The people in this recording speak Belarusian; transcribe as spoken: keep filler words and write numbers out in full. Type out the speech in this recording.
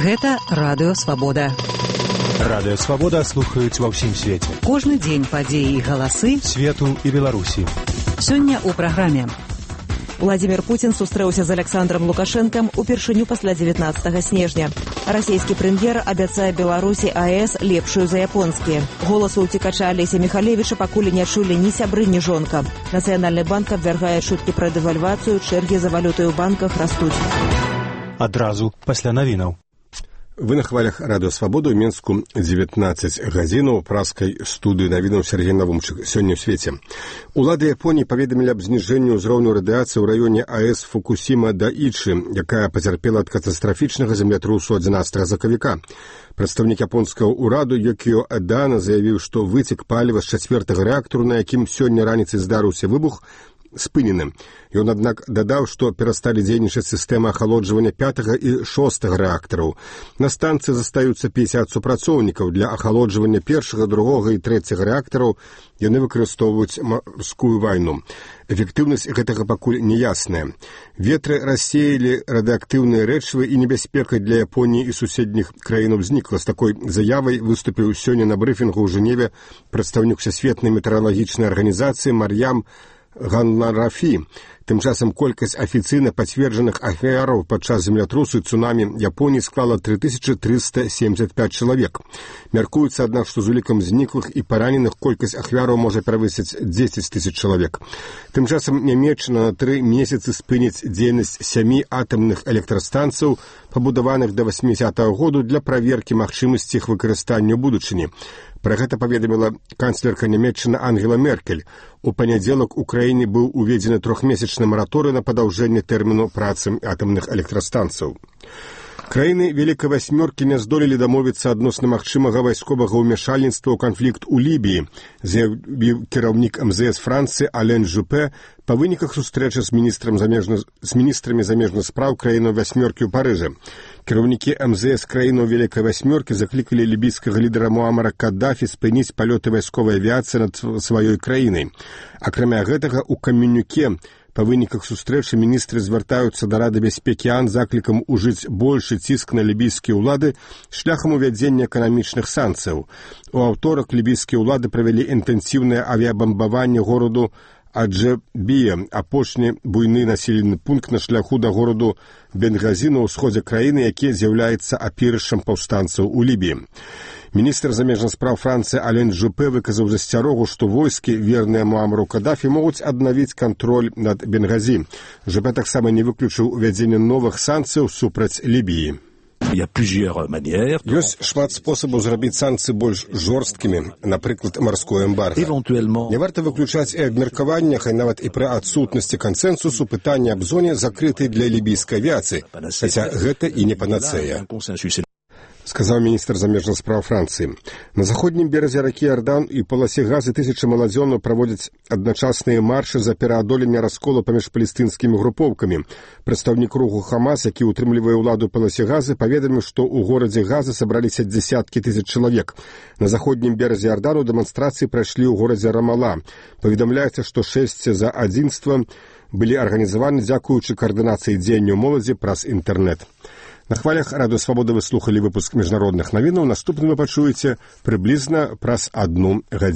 Гэта Радыё Свабода. Радыё Свабода слухаюць ва ўсім свеце. Кожны дзень падзеі і галасы свету і Беларусі. Сёння ў праграме. Владзімир Путін сустрэўся з Александром Лукашэнкам упершыню пасля дзевятнаццатага снежня. Расійскі прэм'ер абяцае Беларусі АЭС лепшую за японскія. Голасу ўцекача Алеся Михалевіча пакуль не чулі ні сябры, ні жонка. Нацыянальны банк абвяргае чуткі пра дэвальвацыю, чэргі за валютай у банках растуць. Адразу пасля навінаў. Вы на хвалях Радыё Свабода ў Менску дзевятнаццаць гадзінаў праскай студыі навінаў Сергей Навумчык. Сёння ў свеце. Улады Японіі паведамілі аб зніжэнні ўзроўню радыяцыі ў раёне АЭС Фукусіма-Дайчы, якая пацярпела ад катастрафічнага землятрусу адзінаццатага сакавіка. Прадстаўнік японскага ўраду Йокіо Адана заявіў, што выцек паліва з чацвёртага рэактару, на якім сёння раніцай здарыўся выбух, спынены. Ён, аднак, дадаў, што перасталі дзейнічаць сістэмы ахалоджвання пятага і шостага рэактараў. На станцыі застаюцца пяцьдзясят супрацоўнікаў. Для ахалоджвання першага, другога і трэцяга рэактараў яны выкарыстоўваюць марскую вайну. Эфектыўнасць гэтага пакуль неясная. Ветры рассеялі радыактыўныя рэчывы, і небяспека для Японіі і суседніх краінаў знікла. З такой заявай выступіў сёння на брыфінгу ў Жэневе прадстаўнік Всесветнай метэаралагічнай арганізацыі Мар'ям Ганнарафі. Тым часам колькасць афіцыйна пацверджаных ахвяраў падчас землятрусу і цунамі Японіі склала тры тысячы трыста семьдзесят пять чалавек. Мяркуецца, аднак, што з улікам зніклых і параненых колькасць ахвяраў можа перавысіць дзесяць тысяч чалавек. Тым часам Нямецчына на тры месяцы спыніць дзейнасць сямі атамных электрастанцыяў, пабудаваных да васьмідзясятага году для праверкі магчымасці іх выкарыстання ў будучыні. Пра гэта паведаміла канцлерка Нямецчыны Ангела Меркель. У панядзелак у краіне быў уведзены трохмесячны мараторый на падаўжэнне тэрміну працы атамных электрастанцыяў. Краіны Вялікай Васьмёркі не здолелі дамовіцца адносна магчымага вайсковага ўмяшальніцтва ў канфлікт у Лібіі, заявіў кіраўнік эм зэ эс Францыі Ален Жупе па выніках сустрэчы з міністрам замежна... з міністрамі замежных спраў краінаў Васьмёркі ў Парыжы. Кіраўнікі эм зэ эс краінаў Вялікай Васьмёркі заклікалі лібійскага лідара Муамара Каддафі спыніць палёты вайсковай авіяцыі над сваёй краінай. Акрамя гэтага, у каменюке па выніках сустрэчы міністры звяртаюцца да Рады бяспекі АОН заклікам ужыць большы ціск на лібійскія ўлады шляхам увядзення эканамічных санкцыяў. У аўторак лібійскія ўлады правялі інтэнсіўнае авіябамбаванне гораду Аджэбія, апошні буйны населены пункт на шляху да гораду Бенгазі на ўсходзе краіны, які з'яўляецца апірышчам паўстанцаў у Лібіі. Міністр замежных спраў Францыі Ален Жупе выказаў засцярогу, што войскі, верныя Муамару Каддафі, могуць аднавіць кантроль над Бенгазі. Жупе таксама не выключыў увядзення новых санкцыяў супраць Лібіі. Ёсць шмат спосабаў зрабіць санкцыі больш жорсткімі, напрыклад, марское эмбарга. Не варта выключаць і абмеркавання, хай нават і пры адсутнасці кансэнсусу, пытання аб зоне закрытай для лібійскай авіяцыі, хаця гэта і не панацэя, сказаў міністр замежных спраў Францыі. На заходнім беразе ракі Ардан і паласе газы тысячы маладзёнаў праводзяць адначасныя маршы за пераадоленне расколу паміж палестынскімі групоўкамі. Прадстаўнік руху Хамас, які ўтрымлівае ўладу паласе газы, паведаміў, што ў горадзе Газа сабраліся дзесяткі тысяч чалавек. На заходнім беразе Ардану дэманстрацыі прайшлі ў горадзе Рамала. Паведамляецца, што шэсць за адзінства былі арганізаваны дзякуючы каардынацыі дзеянняў моладзі праз інтэрнэт. На хвалях Радыё Свабода вы слухалі выпуск міжнародных навінаў. Наступны вы пачуеце прыблізна праз адну гадзіну.